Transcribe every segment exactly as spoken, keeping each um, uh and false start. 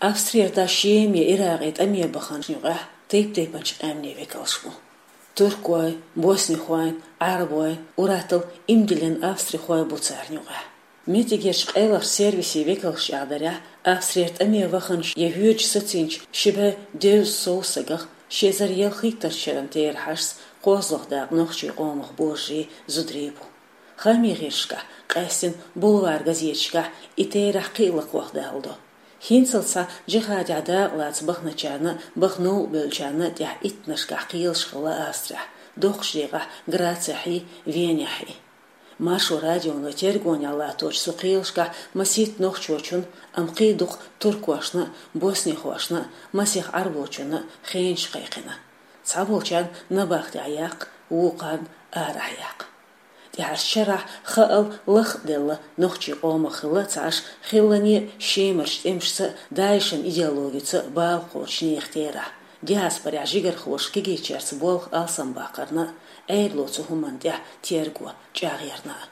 Австрера дӀа Шема, Иракъе тӀаме баханчун юкъехь тайп-тайпанчу къаьмнийн векалш бу. Туркой, боснихой, Ӏарбой, уьттазза иман диллина австрихой бу царна юкъехь. Меттигерчу къайлахчу сервисийн векалша чӀагӀдарехь, Австрера тӀаме ваханчу я воьдуш сацийначу ши бӀе дезткъа сов стагах ши эзар ялхитталгӀачу шеран терахьашца кхозлагӀа дакъа нохчийн къомах божарий, зударий бу. Хаамийн гӀирсашкахь, къаьсттина бульвар газеташкахь и терахь кхин а лакхах даладо. ХӀинццалц схьа джихӀадехь дакъа лаца баханачарна а, баха новкъа бевллачарна а тӀехь иттаннашкахь кхелаш хилла Австрехь, доккхачу декъехь Грацехь а, Венехь а. Маршо радионо тергонехь латточу цу кхелашкахь масийтта нохчочунна, амма кхин а дукха туркошна а, боснихошна а, масех Ӏарбочунна а хенаш кхайкхина. Цхьаболчарна набахтехь яккха, вукхарна арахь яккха. ТӀаьхьарчу шарахь хаал лаххаделла нохчийн къомах хилла ца Ӏаш, хиллане а Шемарчу тӀемашца а, ДАИШан идеологица а бала кхочучу нехан терахь, диаспорехь жигархоша кегийчаьрца болх алсамбаккхарна а, Ӏедало цу хӀуманна тӀехь терго чӀагӀъярна а.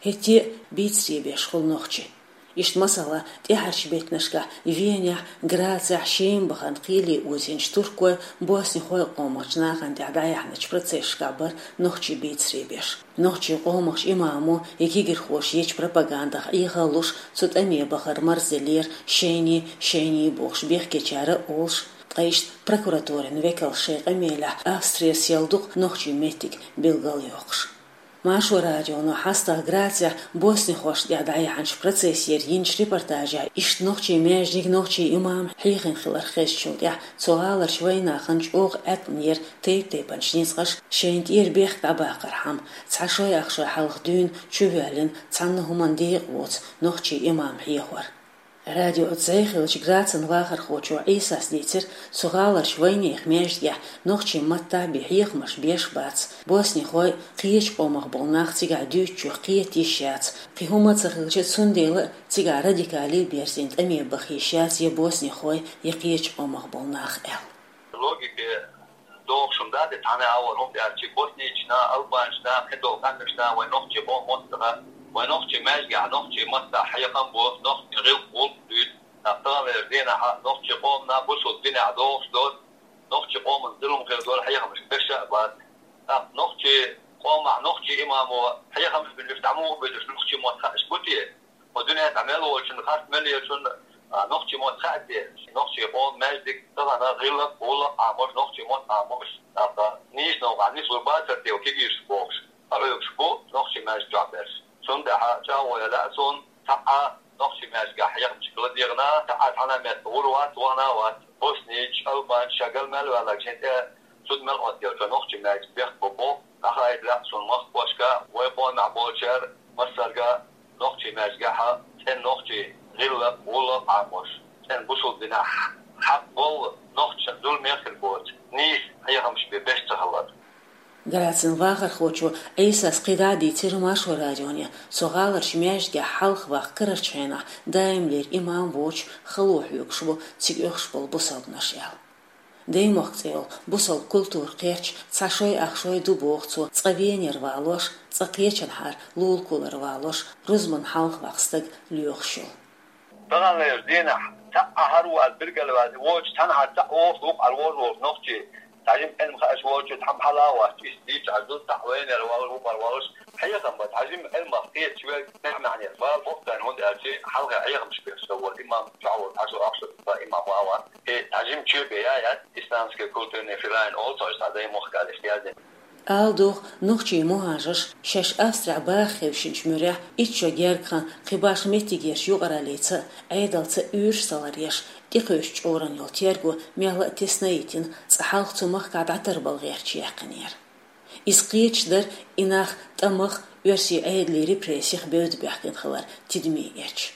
ХӀетте а бийцаре беш хуьлу нохчий. Иштта, масала, тӀаьхьарчу беттанашкахь Венехь, Грацехь Шема бахарна кхеле озийначу туркой, боснихой къомахчу нахана тӀехь дӀаяьхьначу процессашкахь бара нохчий бийцаре беш. Нохчийн къомахчу имамо я кегирхоша ечу пропагандах Ӏехалуш, цу тӀаме бахар марзделлера шайне, шайне бохуш бехкечара а олуш, ткъа иштта прокуратурин векалша шайн къамелехь Австрера сел дукха нохчийн меттиг билгалйоккхуш. Маршо радионо хьастагӀа Грацехь боснихошна тӀехь дӀаяьхьначу процессера йинчу репортажехь иштта нохчийн маьждиг, нохчийн имам хьехийна хилар хезначул тӀаьхьа цу гӀаларчу вайнахана чӀогӀа Ӏаткъам йира тайп-тайпанчу ницкъаша шайна тӀера бехк дӀабаккхархьама, цхьа шой-ах шой хьалха дуьйна чувоьллина, цхьанна хӀуманна декъа воцу нохчийн имам хьехор. Радиоца зӀе хиллачу Грацан вахархочо Ӏийсас дийцира, цу гӀаларчу вайнехан маьждигехь нохчийн маттахь бен хьехамаш беш бац, боснихой, кхечу къомах болу нах цигахь дуьйцучух кхета йиш яц, кхин хӀума а ца хилча, цундела а цигахь радикале а берзийна тӀаме баха йиш яц я боснихой, я кхечу къомах болу нах аьлла. Логике догӀуш хӀума дац и, цхьана а вара хӀума тӀаьхьарчий боснична, албанчна, кхидолу къаьмнашна вайн нохчийн къоман мотт ца хаьа, вайн нохчийн маьждигехь нохчийн маттахь хьехам бо, нохчийн гӀиллакх-гӀуллакх дуьйцу, тӀаккха таханлерчу дийнахь нохчийн къомана бусалба динехь догӀуш доцу, нохчийн къоман зулам хир долу хьехамаш беш а бац. ТӀаккха нохчийн къомахь нохчийн имамо хьехамаш бинарш дӀа муха безаш, нохчийн мотт хаьаш бу те? Кху дуьнен тӀехь мел волчунна, харц мел ечунна, а, нохчийн мотт хаьа те? Нохчийн къоман маьждиг тахана гӀиллакх-гӀуллакх Ӏамош, нохчийн мотт Ӏамош, тӀаккха нийса новкъахь нислур бацара те кегийрхой бохуш, къахьоьгуш бу нохчийн маьждиг чохь берш. Цундела чӀагӀо ян лаьа суна, цхьа а нохчийн маьждигехь хьехамаш хила дегӀана, цхьа а цхьана а метта гӀур вац, вахана а вац. Боснича, албанча, ша гал мел ваьлларг шен тӀе зуда мел оттаелча нохчийн маьждиг бехк бо боху, дӀахаийта лаьа суна махкахошка, вай къомехь болчара массаьрга нохчийн маьждигехь цӀена нохчийн гӀиллакх-гӀуллакх Ӏамош, цӀена бусалба динехь хьакъ болу нохчашна зуламе хир боцу нийса хьехамаш бен беш ца хилар. Грацан вахархочо Ӏийсас кхидӀа а дийцира Маршо радионе, цу гӀаларчу маьждигехь хьалха ваккха карарчу хенахь даимлера имам воцуш хало хьоьгуш бу цига оьхуш болу бусалбанаш аьлла. Даймохк цӀе йолу бусалба культура кхерч цхьа шой-ах шой ду боху цо, цкъа Венера валош, цкъа кхечанхьара лулахулара валош, рузбан хьалха ваккха стаг лоьхуш йолу. Таханлерчу дийнахь цхьа а хӀара ву ас билгалваьлла, воцуш цхьанхьара цхьаъ воху, вукхара вожа волчу нохчийн, цхьа жима Ӏилма хууш волчу цхьа хьала а вац, иштта дийцча хьажа ду, цхьаъ Венера валош, вукхара валош, хьехам бац, цхьа жима Ӏилмах кхеташ верг, маьӀна еш вала боху царна, хӀунда аьлча хьалха хьехамаш беш ца волу имам чохь волу, хьажа ахча имам ван вац. И цхьа жима чоь бен яц, исламский культурный филиал олу цо, цхьа даймохк аьлла иштта яздина. Ала догӀу, нохчийн мухӀажарш шаьш Австрехь баха хевшинчу муьрехь, итт шо гергга хан кхин башха меттигерчу юкъараллица а, Ӏедалца а уьйраш ца ларъеш, тӀекхуьйсучу чкъуран йолу терго мелла а тесна а йитина, цкъа хьалха цу махкахь дӀатарбала гӀерташ яьккхинера. Иза кхеташ дара, и нах тӀамах, оьрсийн Ӏедалан репрессех бевдда баьхкина хилар тидаме эцча.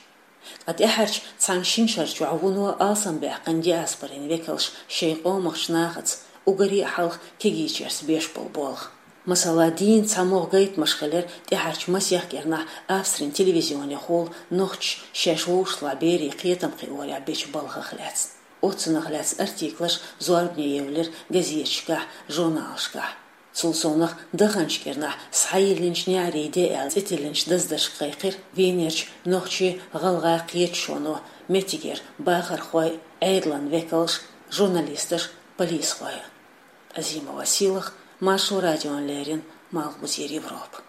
Ткъа тӀаьхьарчу цхьана-шина шарчохь вуно алсамбаьккхина диаспорин векалш шайн къомахчу нахаца, уггаре а хьалха кегийчаьрца беш болу болх. Масала, дийнна цхьа могӀа гайтамаш хилира тӀаьхьарчу масех кӀирнахь Австрин телевизионехула нохчаша шаьш вовшахтохара берийн кхетам кхиорехь бечу балхах лаьцна. Оццунах лаьцна артиклаш зорбане евлира газеташкахь, журналашкахь. Цул совнаха, даханчу кӀирнахь схьайиллинчу неӀарийн де аьлла цӀе тиллинчу даздаршка кхайкхира Венерчу нохчийн-гӀалгӀайн кхеташоно, Меттигера бахархой, Ӏедалан векалш, журналисташ, полисхой. Азимова Силах, Маршо радиона леррина, Малхбузера Европа.